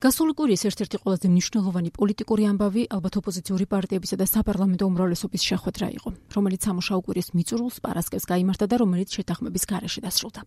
გასული კვირის ერთ-ერთი ყველაზე მნიშვნელოვანი პოლიტიკური ამბავი ალბათ ოპოზიციური პარტიებისა და საპარლამენტო უმრავლესობის შეხვედრა იყო, რომელიც სამუშაო კვირის მიწურულს პარასკევს გაიმართა და რომელიც შეთანხმების გარეშე დასრულდა.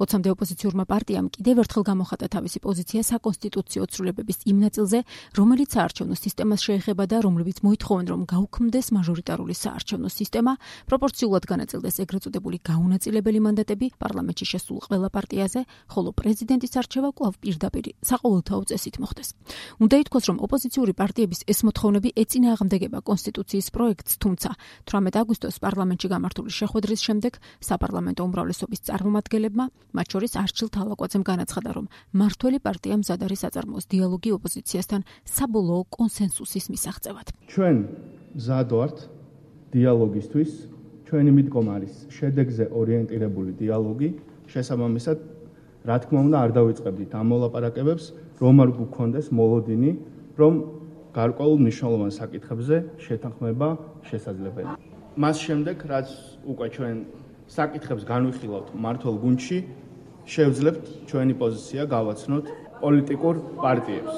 20-მდე ოპოზიციურმა პარტიამ კიდევ ერთხელ გამოხატა თავისი პოზიცია საკონსტიტუციო ცვლილებების იმ ნაწილზე, რომელიც საარჩევნო სისტემას შეეხება და რომლებიც მოითხოვენ, რომ გაუქმდეს მაჟორიტარული საარჩევნო სისტემა, პროპორციულად განაწილდეს ეგრეთ წოდებული გაუნაწილებელი მანდატები პარლამენტში შესულ ყველა პარტიაზე, ხოლო პრეზიდენტის არჩევა კვლავ პირდაპირ საყოველთაო წესით მოხდეს. უნდა ითქვას, რომ ოპოზიციური პარტიების ეს მოთხოვნები ეწინააღმდეგება კონსტიტუციის პროექტს, თუმცა 18 აგვისტოს პარლამენტში გამართული შეხვედრის შემდეგ საპარლამენტო უმრავლესობის წარმომადგენლებმა, მათ შორის არჩილ თალაკვაძემ განაცხადა, რომ მმართველი პარტია მზად არის აწარმოოს დიალოგი ოპოზიციასთან საბოლოო კონსენსუსის მისაღწევად. ჩვენ მზად ვართ დიალოგისთვის, ჩვენი მიდგომა არის შედეგზე ორიენტირებული დიალოგი, შესაბამისად, რა თქმა უნდა, არ დავიწყებდით ამ მოლაპარაკებებს, რომ არ გქონდეს მოლოდინი, რომ გარკვეულ მნიშვნელოვან საკითხებზე შეთანხმება შესაძლებელია. მას შემდეგ, რაც უკვე ჩვენ საკითხებს განვიხილავთ მმართველ გუნდში, შევძლებთ ჩვენი პოზიცია გავაცნოთ პოლიტიკურ პარტიებს.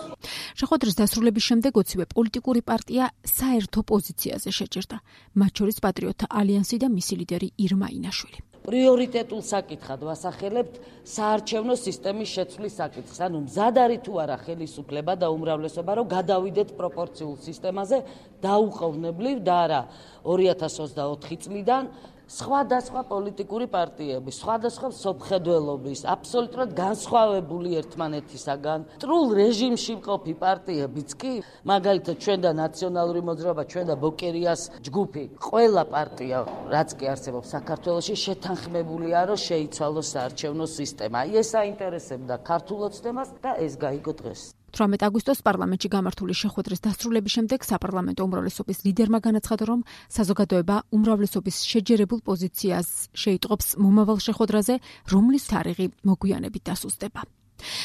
შეხვედრის დასრულების შემდეგ 20-ვე პოლიტიკური პარტია საერთო პოზიციაზე შეჭერდა, მათ შორის პატრიოტთა ალიანსი და მისი ლიდერი ირმა ინაშვილი. პრიორიტეტულ საკითხად ვასახელებთ საარჩევნო სისტემის შეცვლის საკითხს. ანუ მზად არის თუ არა ხელისუფლება და უმრავლესობა, რომ გადავიდეთ პროპორციულ სისტემაზე დაუყოვნებლივ და არა 2024 წლიდან სხვადასხვა პოლიტიკური პარტიების, სხვადასხვა მსოფლმხედველობის, აბსოლუტურად განსხვავებული ერთმანეთისაგან, მტრულ რეჟიმში მყოფი პარტიებიც კი, მაგალითად ჩვენ და ნაციონალური მოძრაობა, ჩვენ და ბოკერიას ჯგუფი, ყველა პარტია, რაც კი არსებობს საქართველოში, შეთანხმებულია, რომ შეიცვალოს საარჩევნო სისტემა. ეს აინტერესებდა ქართულ ოცნებას და ეს გაიგო დღეს. 18 აგვისტოს პარლამენტში გამართული შეხვედრის დასრულების შემდეგ საპარლამენტო უმრავლესობის ლიდერმა განაცხადა, რომ საზოგადოება უმრავლესობის შეჯერებულ პოზიციას შეიტყობს მომავალ შეხვედრაზე, რომლის თარიღი მოგვიანებით დასუსტება.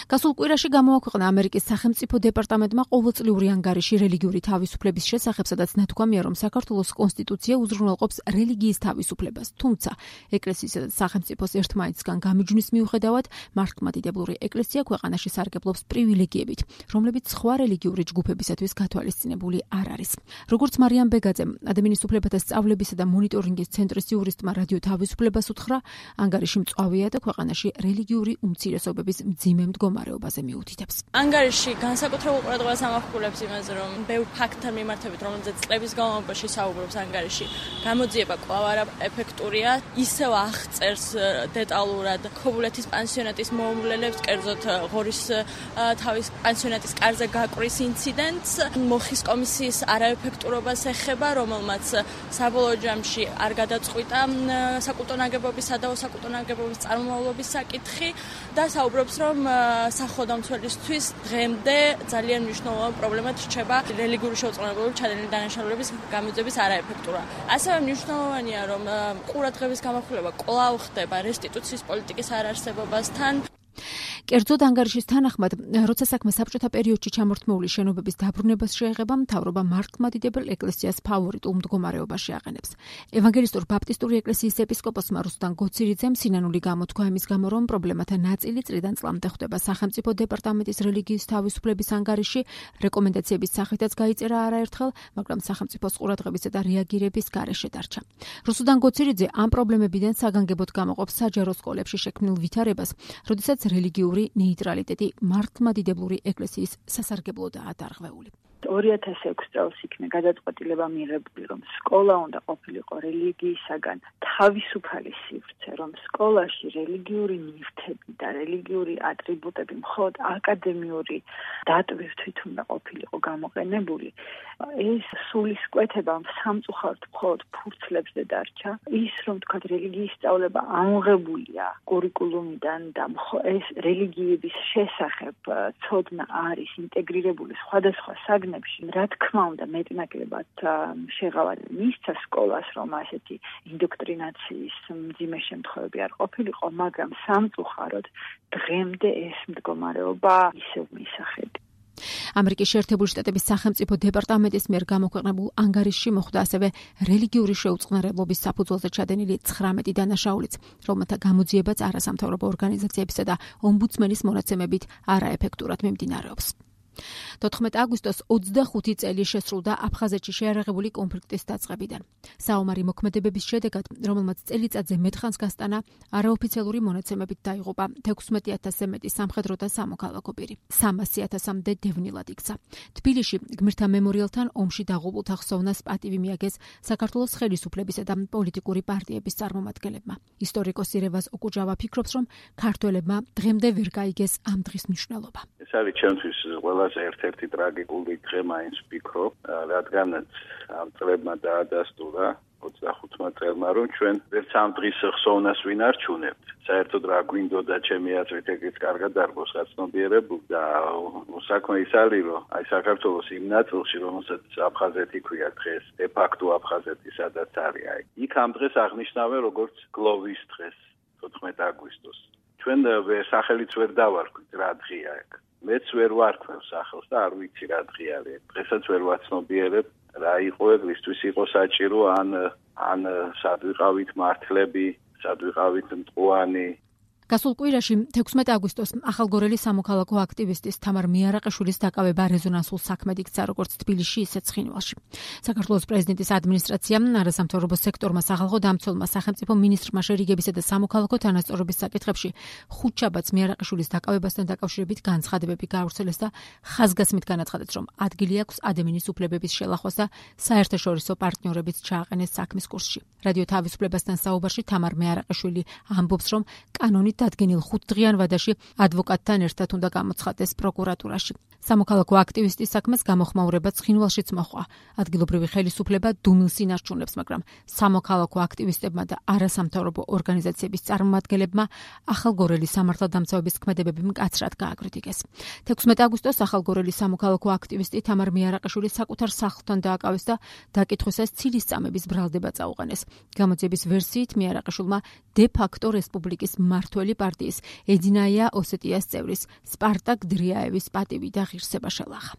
გასულ კვირაში გამოაქვეყნა ამერიკის სახელმწიფო დეპარტამენტმა ყოველწლიური ანგარიში რელიგიური თავისუფლების შესახებ, სადაც ნათქვამია, რომ საქართველოს კონსტიტუცია უზრუნველყოფს რელიგიის თავისუფლებას, თუმცა ეკლესიისა და სახელმწიფოს ერთმანეთისგან გამიჯვნის მიუხედავად, მართლმადიდებლური ეკლესია ქვეყანაში სარგებლობს პრივილეგიებით, რომლებიც სხვა რელიგიური ჯგუფებისათვის გათვალისწინებული არ არის. როგორც მარიამ ბეგაძემ, ადამიანის უფლებათა სწავლებისა და მონიტორინგის ცენტრის იურისტმა რადიო თავისუფლებას უთხრა, ანგარიში მწვავეა და ქვეყანაში რელიგიური უმცირესობების მძიმე მდგომარეობაზე მიუთითებს. ანგარიში განსაკუთრებულ ყურადღებას ამახვილებს იმაზე, რომ ბევრ ფაქტთან მიმართებით, რომელზეც წლების განმავლობაში საუბრობს ანგარიში, გამოძიება კვლავ არაეფექტურია, ისევ აღწერს დეტალურად ქობულეთის პანსიონატის მოუვლელებს, კერძოდ ღორის თავის პანსიონატის კარზე გაკვრის ინციდენტს, მოხის კომისიის არაეფექტურობას ეხება, რომელმაც საბოლოო ჯამში არ გადაწყვიტა საკულტო ნაგებობისა და საკულტო ნაგებობის წარმომავლობის საკითხი და საუბრობს, რომ სახელმწიფოსთვის დღემდე ძალიან მნიშვნელოვანი პრობლემად რჩება რელიგიური შეუწყვილებლობის ჩადენილი დანაშაულების გამოძიების არაეფექტურა. ასევე მნიშვნელოვანია, რომ ყურადღების გამახვილება კვლავ ხდება რესტიტუციის პოლიტიკის არარსებობასთან. კერძოდ ანგარიშის თანახმად, როცა საქმე საბჭოთა პერიოდში ჩამორთმეული შენობების დაბრუნებას შეეხება, მთავრობა მართლმადიდებელ ეკლესიას ფავორიტულ მდგომარეობაში აყენებს. ევანგელისტურ ბაპტისტური ეკლესიის ეპისკოპოსმა რუსტან გოცირიძემ სინანული გამოთქვა იმის გამო, რომ პრობლემათა ნაწილი წლიდან წლამდე ხდება სახელმწიფო დეპარტამენტის რელიგიის თავისუფლების ანგარიში, რეკომენდაციების სახითაც გაიწერა არაერთხელ, მაგრამ სახელმწიფოს ყურადღებისა და რეაგირების გარეშე დარჩა. რუსტან გოცირიძე ამ პრობლემებიდან საგანგებოდ გამოყოფს საჯარო სკოლებში შექმნილ ვითარებას, როდესაც რელიგიური ნეიტრალიტეტი მართლმადიდებლური ეკლესიის სასარგებლოდაა დარღვეული. 2006 წელს იქნა გადაწყვეტილება მიღებული, რომ სკოლა უნდა ყოფილიყო რელიგიისაგან თავისუფალი სივრცე, რომ სკოლაში რელიგიური ნივთები და რელიგიური ატრიბუტები მხოლოდ აკადემიური დატვირთვით უნდა ყოფილიყო გამოყენებული. ეს სულისკვეთება სამწუხაროდ მხოლოდ ფურცლებზე დარჩა. ის, რომ თქვა რელიგიის სწავლება ამოღებულია კურიკულუმიდან და ეს რელიგიების შესახებ ცოდნა არის ინტეგრირებული სხვადასხვა საგნებში, რა თქმა უნდა მეტნაკლებად შეღავალი მისცა სკოლას, რომ ასეთი ინდოქტრინაციის მძიმე შემთხვევები არ ყოფილიყო, მაგრამ სამწუხაროდ დღემდე ეს მდგომარეობა ისევ მისახება. ამერიკის შეერთებული შტატების სახელმწიფო დეპარტამენტის მიერ გამოქვეყნებულ ანგარიშში მოხვდა ასევე რელიგიური შეუწყნარებლობის საფუძველზე ჩადენილი 19 დანაშაულიც, რომელთა გამოძიებაც არასამთავრობო ორგანიზაციებისა და ომბუდსმენის მონაცემებით არაეფექტურად მიმდინარეობს. 14 აგვისტოს 25 წელი შესრულდა აფხაზეთში შეიარაღებული კონფლიქტის დაწყებიდან. საომარი მოქმედებების შედეგად, რომელმაც წელიწადზე მეტხანს გასტანა, არაოფიციალური მონაცემებით დაიღუპა 16,000-ზე მეტი სამხედრო და სამოქალაქო პირი. 300,000-მდე დევნილად იქცა. თბილისში გმირთა მემორიალთან ომში დაღუპულთა ხსოვნას პატივი მიაგეს საქართველოს ხელისუფლებისა და პოლიტიკური პარტიების წარმომადგენლებმა. ისტორიკოსი რევაზ ოკუჯავა ფიქრობს, რომ ქართველებმა დღემდე ვერ გაიგეს ამ დღის მნიშვნელობა. ეს არის ჩემთვის ყველაზე ერთ-ერთი ტრაგიკული დღე მაინც ვფიქრობ, რადგანაც ამ წლებმა დაადასტურა 25 წელმა, რომ ჩვენ ვერც ამ დღის ხსოვნას ვინ არჩუნებთ. საერთოდ რა გვინდოდა ჩემი აზრით ეგეც კარგად დარგოს გაცნობიერებული და საქმე ის არის, რომ აი საქართველოს იმ ნაწილში, რომელსაც აფხაზეთი ქვია დღეს, დე-ფაქტო აფხაზეთი სადაც არის, აი იქ ამ დღეს აღნიშნავენ როგორც გლოვის დღეს, 14 აგვისტოს. ჩვენ სახელიც ვერ დავარქვით რა დღეა ეგ. მეც ვერ ვარქვევ სახელს და არ ვიცი რა დღე არის. დღესაც ვერ ვაცნობიერებ რა იყო ეგ, ვისთვის იყო საჭირო ან სად ვიყავით მართლები, სად ვიყავით მტყუანი. გასულ კვირაში 16 აგვისტოს ახალგორელი სამოქალაქო აქტივისტის თამარ მიარაყიშვილის დაკავება რეზონანსულ საქმედ იქცა როგორც თბილისში, ისე ცხინვალში. საქართველოს პრეზიდენტის ადმინისტრაციამ არასამთავრობო სექტორმა სახალხო დამცველმა სახელმწიფო მინისტრმა შერიგებისა და სამოქალაქო თანასწორობის საკითხებში ხუთშაბათს მიარაყიშვილის დაკავებასთან დაკავშირებით განცხადებები გაავრცელეს და ხაზგასმით განაცხადეს, რომ ადგილი აქვს ადმინის უფლებების შელახვას და საერთაშორისო პარტნიორებით ჩააყენეს საქმის კურსში. რადიო თავისუფლებასთან საუბარში თამარ მიარაყიშვილი ამბობს, რომ კანონით დადგენილ 5 დღიან ვადაში ადვოკატთან ერთად უნდა გამოცხადდეს პროკურატურაში. სამოქალაქო აქტივისტის საქმეს გამოხმაურება ცხინვალშიც მოჰყვა. ადგილობრივი ხელისუფლება დუმილს ინარჩუნებს, მაგრამ სამოქალაქო აქტივისტებმა და არასამთავრობო ორგანიზაციების წარმომადგენლებმა ახალგორელი სამართალდამცავების ქმედებები მკაცრად გააკრიტიკეს. 16 აგვისტოს ახალგორელი სამოქალაქო აქტივისტი თამარ მიარაყიშვილი საკუთარ სახლთან დააკავეს და დაკითხვისას ცილის წამების ბრალდება წაუყენეს. გამოძიების ვერსიით მიარაყიშვილმა დე-ფაქტო რესპუბლიკის მართველი პარტიის ედინაია ოსეტიას წევრის სპარტაკ დრიაევის პატივი და ღირსება შელახა.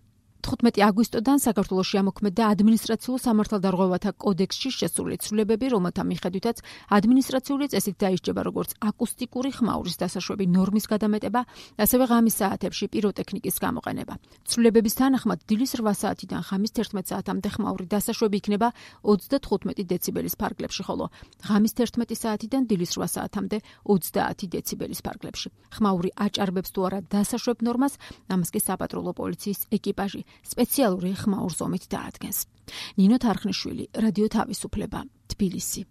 15 აგვისტოდან საქართველოში ამოქმედდა ადმინისტრაციულ სამართალდარღვევათა კოდექსში შესული ცვლილებები, რომელთა მიხედვითაც ადმინისტრაციული წესით დაისჯება როგორც აკუსტიკური ხმაურის დასაშვები ნორმის გადამეტება, ასევე ღამის საათებში პიროტექნიკის გამოყენება. ცვლილებების თანახმად დილის 8 საათიდან ღამის 11 საათამდე ხმაური დასაშვები იქნება 35 დეციბელის ფარგლებში, ხოლო ღამის 11 საათიდან დილის 8 საათამდე 30 დეციბელის ფარგლებში. ხმაური აჭარბებს თუ არა დასაშვებ ნორმას, ამას კი საპატრულო პოლიციის ეკიპაჟი სპეციალური ხმაურ ზომით დაადგენს. ნინო თარხნიშვილი, რადიო თავისუფლება, თბილისი.